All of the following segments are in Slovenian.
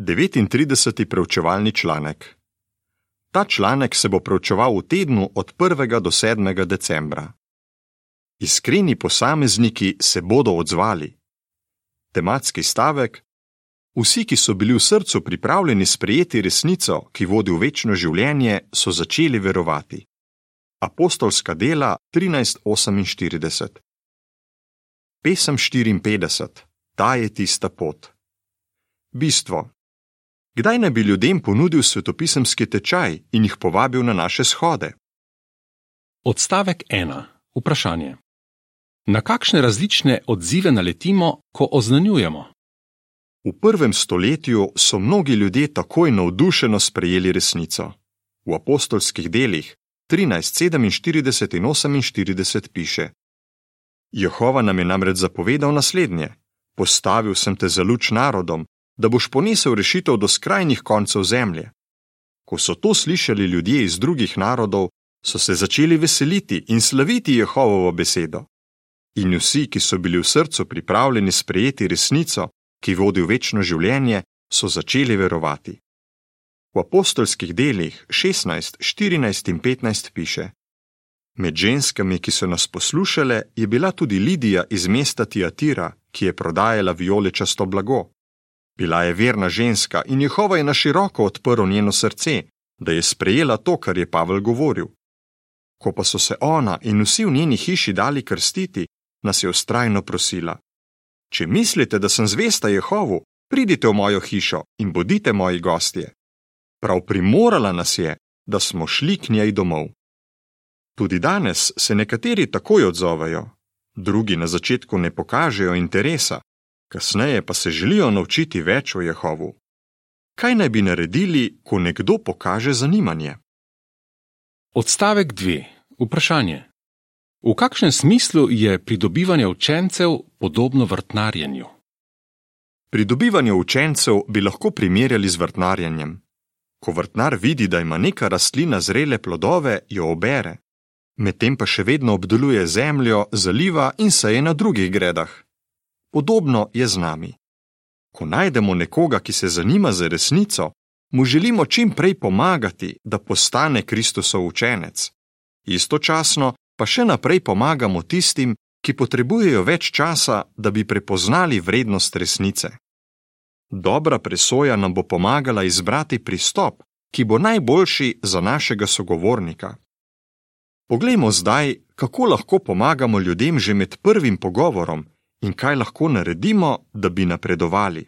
39. preučevalni članek. Ta članek se bo preučeval v tednu od 1. do 7. decembra. Iskreni posamezniki se bodo odzvali. Tematski stavek: vsi, ki so bili v srcu pripravljeni sprejeti resnico, ki vodi v večno življenje, so začeli verovati. Apostolska dela 13:48. Pesem 54. Ta je tista pot. Bistvo. Kdaj naj bi ljudem ponudil svetopisemski tečaj in jih povabil na naše shode? Odstavek 1. Vprašanje. Na kakšne različne odzive naletimo, ko oznanjujemo? V 1. stoletju so mnogi ljudje takoj navdušeno sprejeli resnico. V apostolskih delih 13:47 in 48 piše: Jehova nam je namreč zapovedal naslednje: postavil sem te za luč narodom, da boš ponesel rešitev do skrajnih koncev zemlje. Ko so to slišali ljudje iz drugih narodov, so se začeli veseliti in slaviti Jehovovo besedo. In vsi, ki so bili v srcu pripravljeni sprejeti resnico, ki vodi v večno življenje, so začeli verovati. V apostolskih delih 16, 14 in 15 piše: Med ženskami, ki so nas poslušale, je bila tudi Lidija iz mesta Tiatira, ki je prodajala vijoličasto blago. Bila je verna ženska in Jehova je na široko odprl njeno srce, da je sprejela to, kar je Pavel govoril. Ko pa so se ona in vsi v njeni hiši dali krstiti, nas je vztrajno prosila: Če mislite, da sem zvesta Jehovu, pridite v mojo hišo in bodite moji gostje. Prav primorala nas je, da smo šli k njej domov. Tudi danes se nekateri takoj odzovejo, drugi na začetku ne pokažejo interesa, kasneje pa se želijo naučiti več o Jehovu. Kaj naj bi naredili, ko nekdo pokaže zanimanje? Odstavek 2. Vprašanje. V kakšnem smislu je pridobivanje učencev podobno vrtnarjenju? Pridobivanje učencev bi lahko primerjali z vrtnarjenjem. Ko vrtnar vidi, da ima neka rastlina zrele plodove, jo obere, medtem pa še vedno obdeluje zemljo, zaliva in seje na drugih gredah. Podobno je z nami. Ko najdemo nekoga, ki se zanima za resnico, mu želimo čim prej pomagati, da postane Kristusov učenec. Istočasno pa še naprej pomagamo tistim, ki potrebujejo več časa, da bi prepoznali vrednost resnice. Dobra presoja nam bo pomagala izbrati pristop, ki bo najboljši za našega sogovornika. Poglejmo zdaj, kako lahko pomagamo ljudem že med prvim pogovorom in kaj lahko naredimo, da bi napredovali.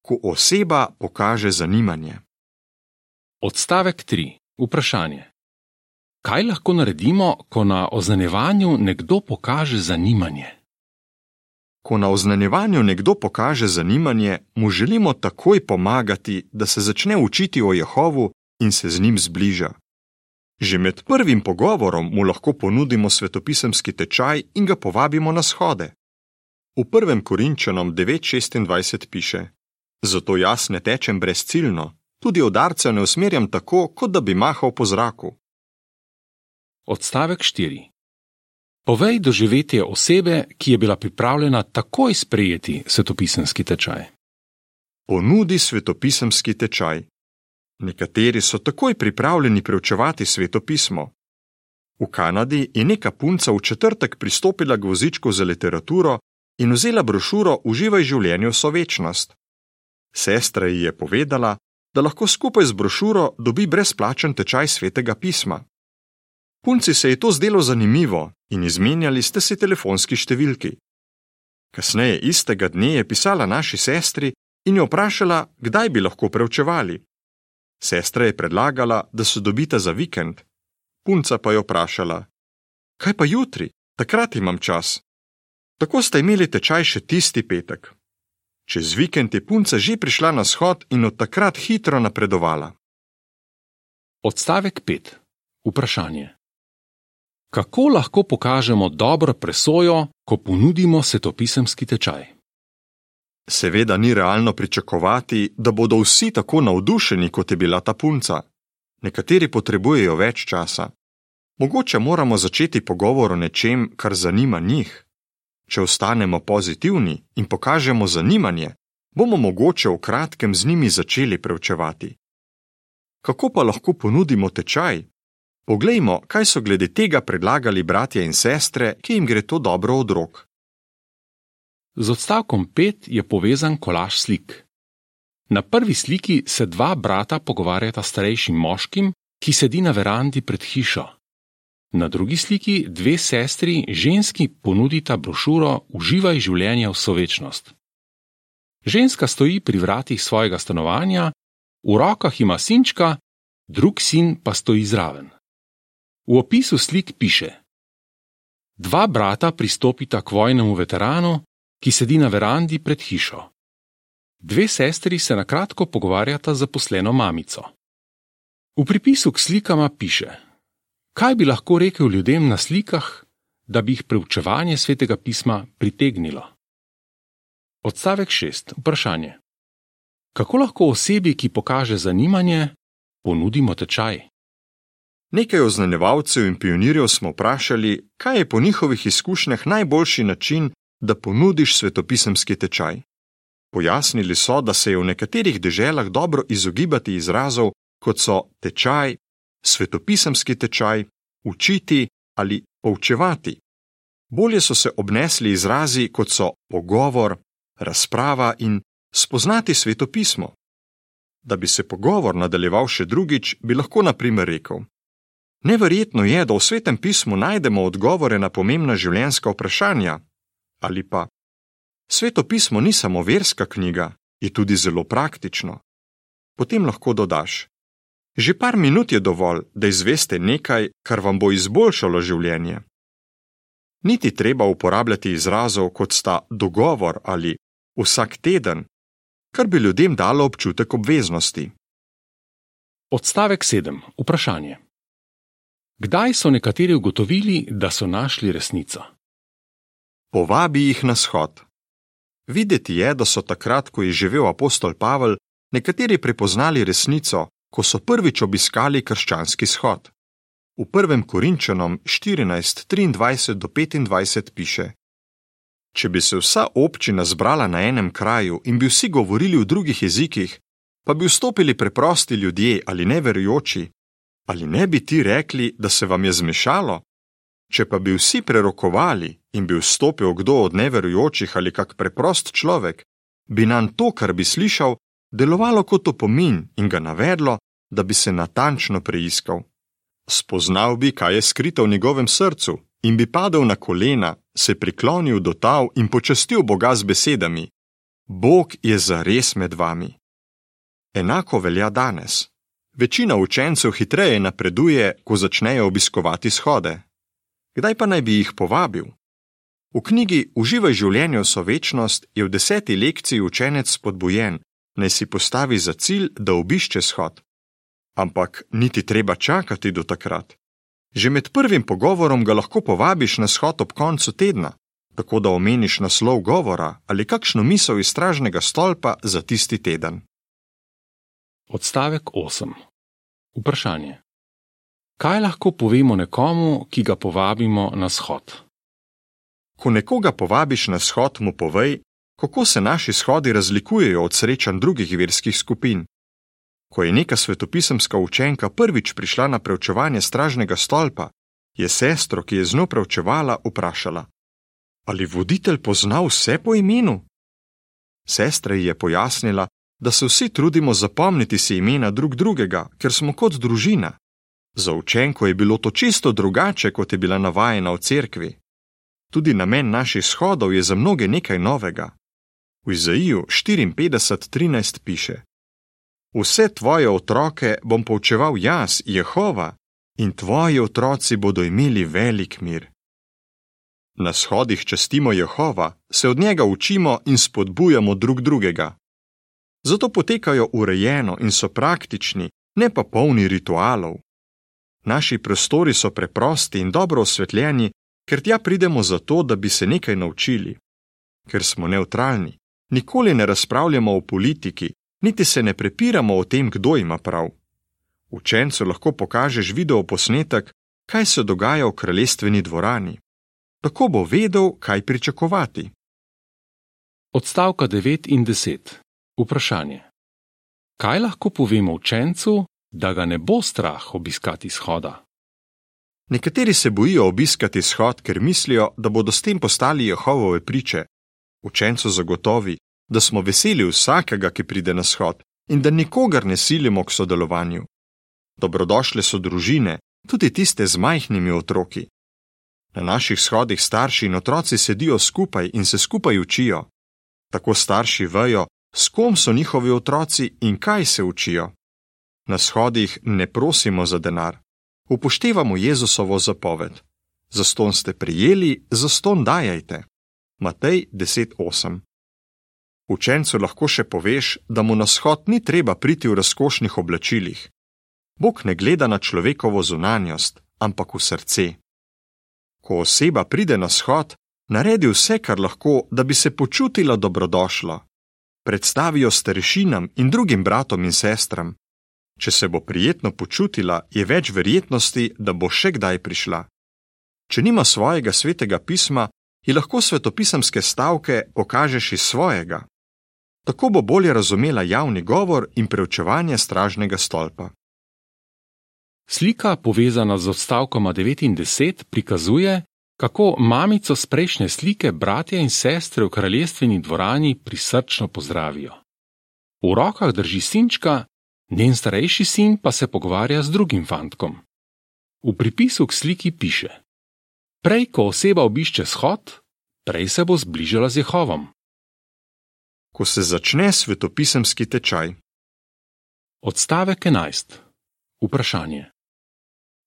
Ko oseba pokaže zanimanje. Odstavek 3. Vprašanje. Kaj lahko naredimo, ko na oznanjevanju nekdo pokaže zanimanje? Ko na oznanjevanju nekdo pokaže zanimanje, mu želimo takoj pomagati, da se začne učiti o Jehovu in se z njim zbliža. Že med prvim pogovorom mu lahko ponudimo svetopisemski tečaj in ga povabimo na shode. V 1. Korinčanom 9:26 piše: Zato jaz ne tečem brezciljno, tudi udarcev ne usmerjam tako, kot da bi mahal po zraku. Odstavek 4. Povej doživetje osebe, ki je bila pripravljena takoj sprejeti svetopisemski tečaj. Ponudi svetopisemski tečaj. Nekateri so takoj pripravljeni preučevati svetopismo. V Kanadi je neka punca v četrtek pristopila k vozičku za literaturo in vzela brošuro Uživaj življenje vso večnost. Sestra ji je povedala, da lahko skupaj z brošuro dobi brezplačen tečaj svetega pisma. Punci se je to zdelo zanimivo in izmenjali ste si telefonski številki. Kasneje istega dne je pisala naši sestri in jo vprašala, kdaj bi lahko preučevali. Sestra je predlagala, da se dobita za vikend. Punca pa jo vprašala: Kaj pa jutri? Takrat imam čas. Tako sta imeli tečaj še tisti petek. Čez vikend je punca že prišla na shod in od takrat hitro napredovala. Odstavek 5. Vprašanje. Kako lahko pokažemo dobro presojo, ko ponudimo svetopisemski tečaj? Seveda ni realno pričakovati, da bodo vsi tako navdušeni, kot je bila ta punca. Nekateri potrebujejo več časa. Mogoče moramo začeti pogovor o nečem, kar zanima njih. Če ostanemo pozitivni in pokažemo zanimanje, bomo mogoče v kratkem z njimi začeli preučevati. Kako pa lahko ponudimo tečaj? Poglejmo, kaj so glede tega predlagali bratje in sestre, ki jim gre to dobro od rok. Z odstavkom 5 je povezan kolaž slik. Na prvi sliki se dva brata pogovarjata s starejšim moškim, ki sedi na verandi pred hišo. Na drugi sliki dve sestri, ženski, ponudita brošuro Uživaj življenje v sovečnost. Ženska stoji pri vratih svojega stanovanja, v rokah ima sinčka, drug sin pa stoji zraven. V opisu slik piše: Dva brata pristopita k vojnemu veteranu, ki sedi na verandi pred hišo. Dve sestri se na kratko pogovarjata z zaposleno mamico. V pripisu k slikama piše: Kaj bi lahko rekel ljudem na slikah, da bi jih preučevanje Svetega pisma pritegnilo? Odstavek 6. Vprašanje. Kako lahko osebi, ki pokaže zanimanje, ponudimo tečaj? Nekaj oznanjevalcev in pionirjev smo vprašali, kaj je po njihovih izkušnjah najboljši način, da ponudiš svetopisemski tečaj. Pojasnili so, da se je v nekaterih deželah dobro izogibati izrazov, kot so tečaj, svetopisemski tečaj, učiti ali poučevati. Bolje so se obnesli izrazi, kot so pogovor, razprava in spoznati svetopismo. Da bi se pogovor nadaljeval še drugič, bi lahko na primer rekel: Neverjetno je, da v Svetem pismu najdemo odgovore na pomembna življenjska vprašanja. Ali pa: Sveto pismo ni samo verska knjiga, je tudi zelo praktično. Potem lahko dodaš: Že par minut je dovolj, da izveste nekaj, kar vam bo izboljšalo življenje. Niti treba uporabljati izrazov, kot sta dogovor ali vsak teden, kar bi ljudem dalo občutek obveznosti. Odstavek 7. Vprašanje. Kdaj so nekateri ugotovili, da so našli resnico? Povabi jih na shod. Videti je, da so takrat, ko je živel apostol Pavel, nekateri prepoznali resnico, ko so prvič obiskali krščanski shod. V 1. Korinčanom 14:23-25 piše: Če bi se vsa občina zbrala na enem kraju in bi vsi govorili v drugih jezikih, pa bi vstopili preprosti ljudje ali neverujoči, ali ne bi ti rekli, da se vam je zmešalo? Če pa bi vsi prerokovali in bi vstopil kdo od neverujočih ali kak preprost človek, bi nam to, kar bi slišal, delovalo kot opomin in ga navedlo, da bi se natančno preiskal. Spoznal bi, kaj je skrito v njegovem srcu, in bi padel na kolena, se priklonil do tal in počastil Boga z besedami: Bog je zares med vami. Enako velja danes. Večina učencev hitreje napreduje, ko začnejo obiskovati shode. Kdaj pa naj bi jih povabil? V knjigi Uživaj življenje v sovečnost je v 10. lekciji učenec spodbujen, naj si postavi za cilj, da obišče shod. Ampak niti treba čakati do takrat. Že med prvim pogovorom ga lahko povabiš na shod ob koncu tedna, tako da omeniš naslov govora ali kakšno misel iz stražnega stolpa za tisti teden. Odstavek 8. Vprašanje. Kaj lahko povemo nekomu, ki ga povabimo na shod? Ko nekoga povabiš na shod, mu povej, kako se naši shodi razlikujejo od srečanj drugih verskih skupin. Ko je neka svetopisemska učenka prvič prišla na preučevanje stražnega stolpa, je sestro, ki je z njo preučevala, vprašala: Ali voditelj pozna vse po imenu? Sestra ji je pojasnila, da se vsi trudimo zapomniti si imena drug drugega, ker smo kot družina. Za učenko je bilo to čisto drugače, kot je bila navajena v cerkvi. Tudi namen naših shodov je za mnoge nekaj novega. V Izaiju 54:13 piše: Vse tvoje otroke bom poučeval jaz, Jehova, in tvoji otroci bodo imeli velik mir. Na shodih častimo Jehova, se od njega učimo in spodbujamo drug drugega. Zato potekajo urejeno in so praktični, ne pa polni ritualov. Naši prostori so preprosti in dobro osvetljeni, ker tja pridemo zato, da bi se nekaj naučili. Ker smo nevtralni, nikoli ne razpravljamo o politiki, niti se ne prepiramo o tem, kdo ima prav. Učencu lahko pokažeš videoposnetek, kaj se dogaja v kraljestveni dvorani. Tako bo vedel, kaj pričakovati. Odstavka 9 in 10. Vprašanje. Kaj lahko povemo učencu, da ga ne bo strah obiskati shoda? Nekateri se bojijo obiskati shod, ker mislijo, da bodo s tem postali Jehovove priče. Učencu zagotovi, da smo veseli vsakega, ki pride na shod, in da nikogar ne silimo k sodelovanju. Dobrodošle so družine, tudi tiste z majhnimi otroki. Na naših shodih starši in otroci sedijo skupaj in se skupaj učijo. Tako starši vejo, s kom so njihovi otroci in kaj se učijo. Na shodih ne prosimo za denar. Upoštevamo Jezusovo zapoved. Zastonj ste prijeli, zastonj dajajte. Matej 10:8. Učencu lahko še poveš, da mu na shod ni treba priti v razkošnih oblačilih. Bog ne gleda na človekovo zunanjost, ampak v srce. Ko oseba pride na shod, naredi vse, kar lahko, da bi se počutila dobrodošlo. Predstavijo starešinam in drugim bratom in sestram. Če se bo prijetno počutila, je več verjetnosti, da bo še kdaj prišla. Če nima svojega svetega pisma, ji lahko svetopisemske stavke pokažeš iz svojega. Tako bo bolje razumela javni govor in preučevanje stražnega stolpa. Slika, povezana z odstavkoma 9 in 10, prikazuje, kako mamico s prejšnje slike bratje in sestre v kraljestveni dvorani prisrčno pozdravijo. V rokah drži sinčka, njen starejši sin pa se pogovarja z drugim fantkom. V pripisu k sliki piše: Prej, ko oseba obišče shod, prej se bo zbližala z Jehovom. Ko se začne svetopisemski tečaj. Odstavek 11. Vprašanje.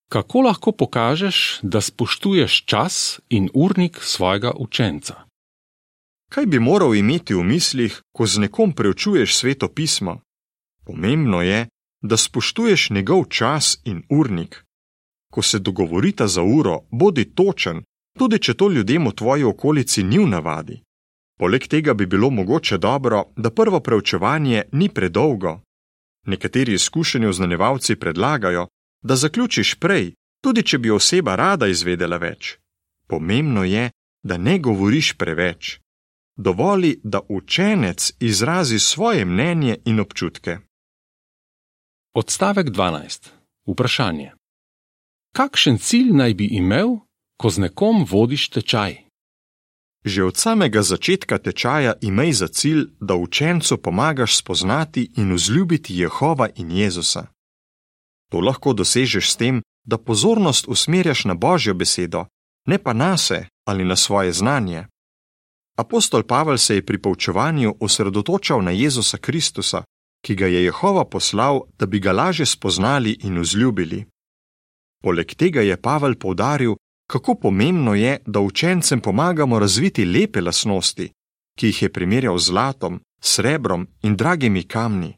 Kako lahko pokažeš, da spoštuješ čas in urnik svojega učenca? Kaj bi moral imeti v mislih, ko z nekom preučuješ sveto pismo? Pomembno je, da spoštuješ njegov čas in urnik. Ko se dogovorita za uro, bodi točen, tudi če to ljudem v tvoji okolici ni v navadi. Poleg tega bi bilo mogoče dobro, da prvo preučevanje ni predolgo. Nekateri izkušeni oznanjevalci predlagajo, da zaključiš prej, tudi če bi oseba rada izvedela več. Pomembno je, da ne govoriš preveč. Dovoli, da učenec izrazi svoje mnenje in občutke. Odstavek 12. Vprašanje. Kakšen cilj naj bi imel, ko z nekom vodiš tečaj? Že od samega začetka tečaja imej za cilj, da učencu pomagaš spoznati in vzljubiti Jehova in Jezusa. To lahko dosežeš s tem, da pozornost usmerjaš na Božjo besedo, ne pa nase ali na svoje znanje. Apostol Pavel se je pri poučevanju osredotočal na Jezusa Kristusa, ki ga je Jehova poslal, da bi ga lažje spoznali in vzljubili. Poleg tega je Pavel poudaril, kako pomembno je, da učencem pomagamo razviti lepe lastnosti, ki jih je primerjal z zlatom, srebrom in dragimi kamni.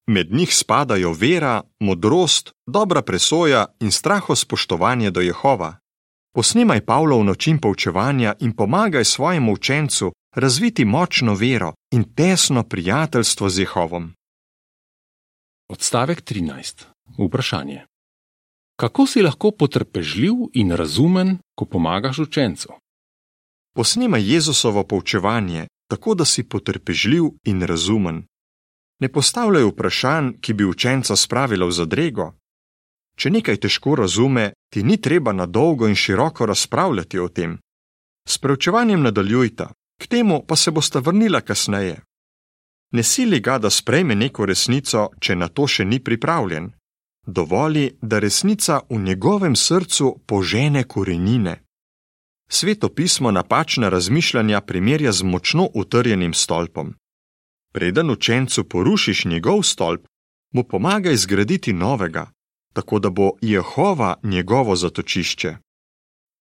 Med njih spadajo vera, modrost, dobra presoja in strahospoštovanje do Jehova. Posnemaj Pavlov način poučevanja in pomagaj svojemu učencu razviti močno vero in tesno prijateljstvo z Jehovom. Odstavek 13. Vprašanje. Kako si lahko potrpežljiv in razumen, ko pomagaš učencu? Posnemaj Jezusovo poučevanje, tako da si potrpežljiv in razumen. Ne postavljaj vprašanj, ki bi učenca spravila v zadrego. Če nekaj težko razume, ti ni treba na dolgo in široko razpravljati o tem. S preučevanjem nadaljujta, k temu pa se bosta vrnila kasneje. Ne sili ga, da sprejme neko resnico, če na to še ni pripravljen. Dovoli, da resnica v njegovem srcu požene korenine. Sveto pismo napačna razmišljanja primerja z močno utrjenim stolpom. Preden učencu porušiš njegov stolp, mu pomagaj zgraditi novega, tako da bo Jehova njegovo zatočišče.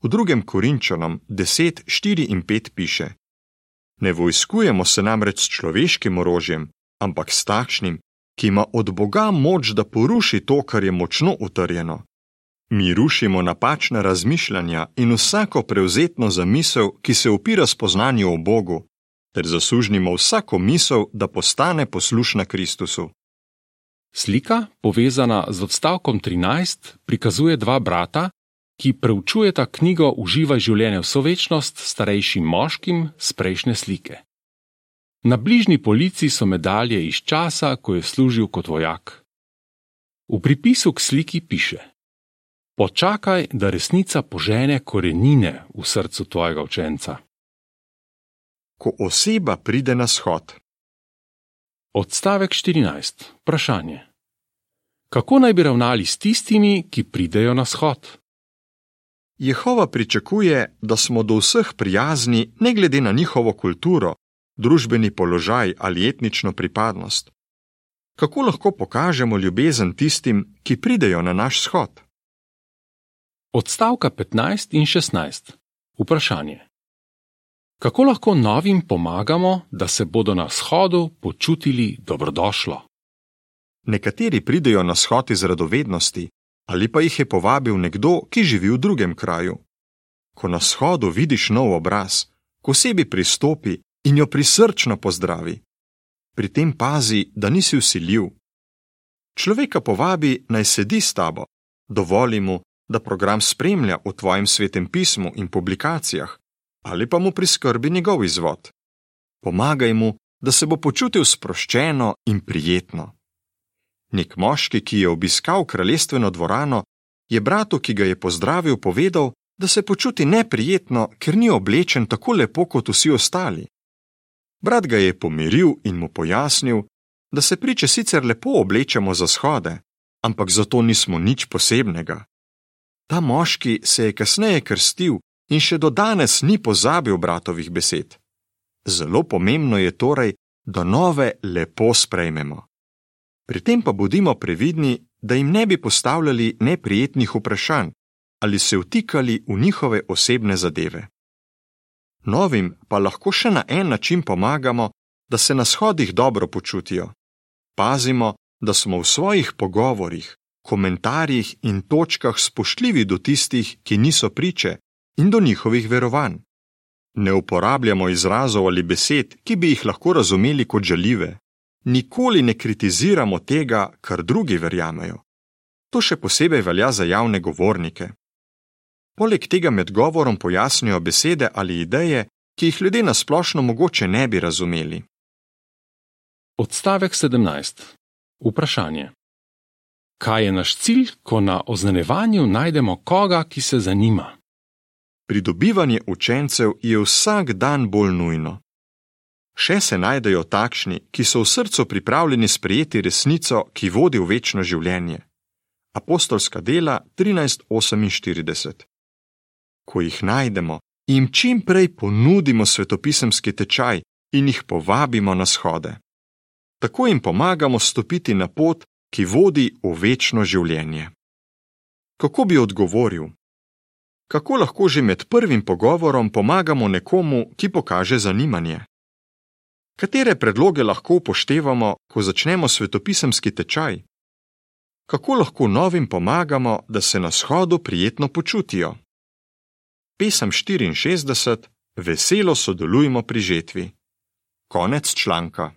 V 2. Korinčanom 10, 4 in 5 piše: Ne vojskujemo se namreč s človeškim orožjem, ampak s takšnim, ki ima od Boga moč, da poruši to, kar je močno utrjeno. Mi rušimo napačna razmišljanja in vsako prevzetno zamisel, ki se opira spoznanju o Bogu, ter zasužnimo vsako misel, da postane poslušna Kristusu. Slika, povezana z odstavkom 13, prikazuje dva brata, ki preučujeta knjigo Uživaj življenje v sovečnost s starejšim moškim z prejšnje slike. Na bližnji polici so medalje iz časa, ko je služil kot vojak. V pripisu k sliki piše: Počakaj, da resnica požene korenine v srcu tvojega učenca. Ko oseba pride na shod. Odstavek 14. Vprašanje. Kako naj bi ravnali s tistimi, ki pridejo na shod? Jehova pričakuje, da smo do vseh prijazni ne glede na njihovo kulturo, družbeni položaj ali etnično pripadnost. Kako lahko pokažemo ljubezen tistim, ki pridejo na naš shod? Odstavka 15 in 16. Vprašanje. Kako lahko novim pomagamo, da se bodo na shodu počutili dobrodošlo? Nekateri pridejo na shod iz radovednosti, ali pa jih je povabil nekdo, ki živi v drugem kraju. Ko na shodu vidiš nov obraz, k osebi pristopi in jo prisrčno pozdravi. Pri tem pazi, da nisi vsiljiv. Človeka povabi, naj sedi s tabo, dovoli mu, da program spremlja v tvojem svetem pismu in publikacijah, ali pa mu priskrbi njegov izvod. Pomagaj mu, da se bo počutil sproščeno in prijetno. Nek moški, ki je obiskal kraljestveno dvorano, je bratu, ki ga je pozdravil, povedal, da se počuti neprijetno, ker ni oblečen tako lepo kot vsi ostali. Brat ga je pomiril in mu pojasnil, da se priče sicer lepo oblečemo za shode, ampak zato nismo nič posebnega. Ta moški se je kasneje krstil in še do danes ni pozabil bratovih besed. Zelo pomembno je torej, da nove lepo sprejmemo. Pri tem pa bodimo previdni, da jim ne bi postavljali neprijetnih vprašanj ali se vtikali v njihove osebne zadeve. Novim pa lahko še na en način pomagamo, da se na shodih dobro počutijo. Pazimo, da smo v svojih pogovorih, komentarjih in točkah spoštljivi do tistih, ki niso priče, in do njihovih verovanj. Ne uporabljamo izrazov ali besed, ki bi jih lahko razumeli kot žaljive. Nikoli ne kritiziramo tega, kar drugi verjamejo. To še posebej velja za javne govornike. Poleg tega med govorom pojasnijo besede ali ideje, ki jih ljudje na splošno mogoče ne bi razumeli. Odstavek 17. Vprašanje. Kaj je naš cilj, ko na označevanju najdemo koga, ki se zanima? Pridobivanje učencev je vsak dan bolj nujno. Še se najdejo takšni, ki so v srcu pripravljeni sprejeti resnico, ki vodi v večno življenje. Apostolska dela 13:48. Ko jih najdemo, jim čim prej ponudimo svetopisemski tečaj in jih povabimo na shode. Tako jim pomagamo stopiti na pot, ki vodi v večno življenje. Kako bi odgovoril? Kako lahko že med prvim pogovorom pomagamo nekomu, ki pokaže zanimanje? Katere predloge lahko upoštevamo, ko začnemo svetopisemski tečaj? Kako lahko novim pomagamo, da se na shodu prijetno počutijo? Pesem 64. Veselo sodelujmo pri žetvi. Konec članka.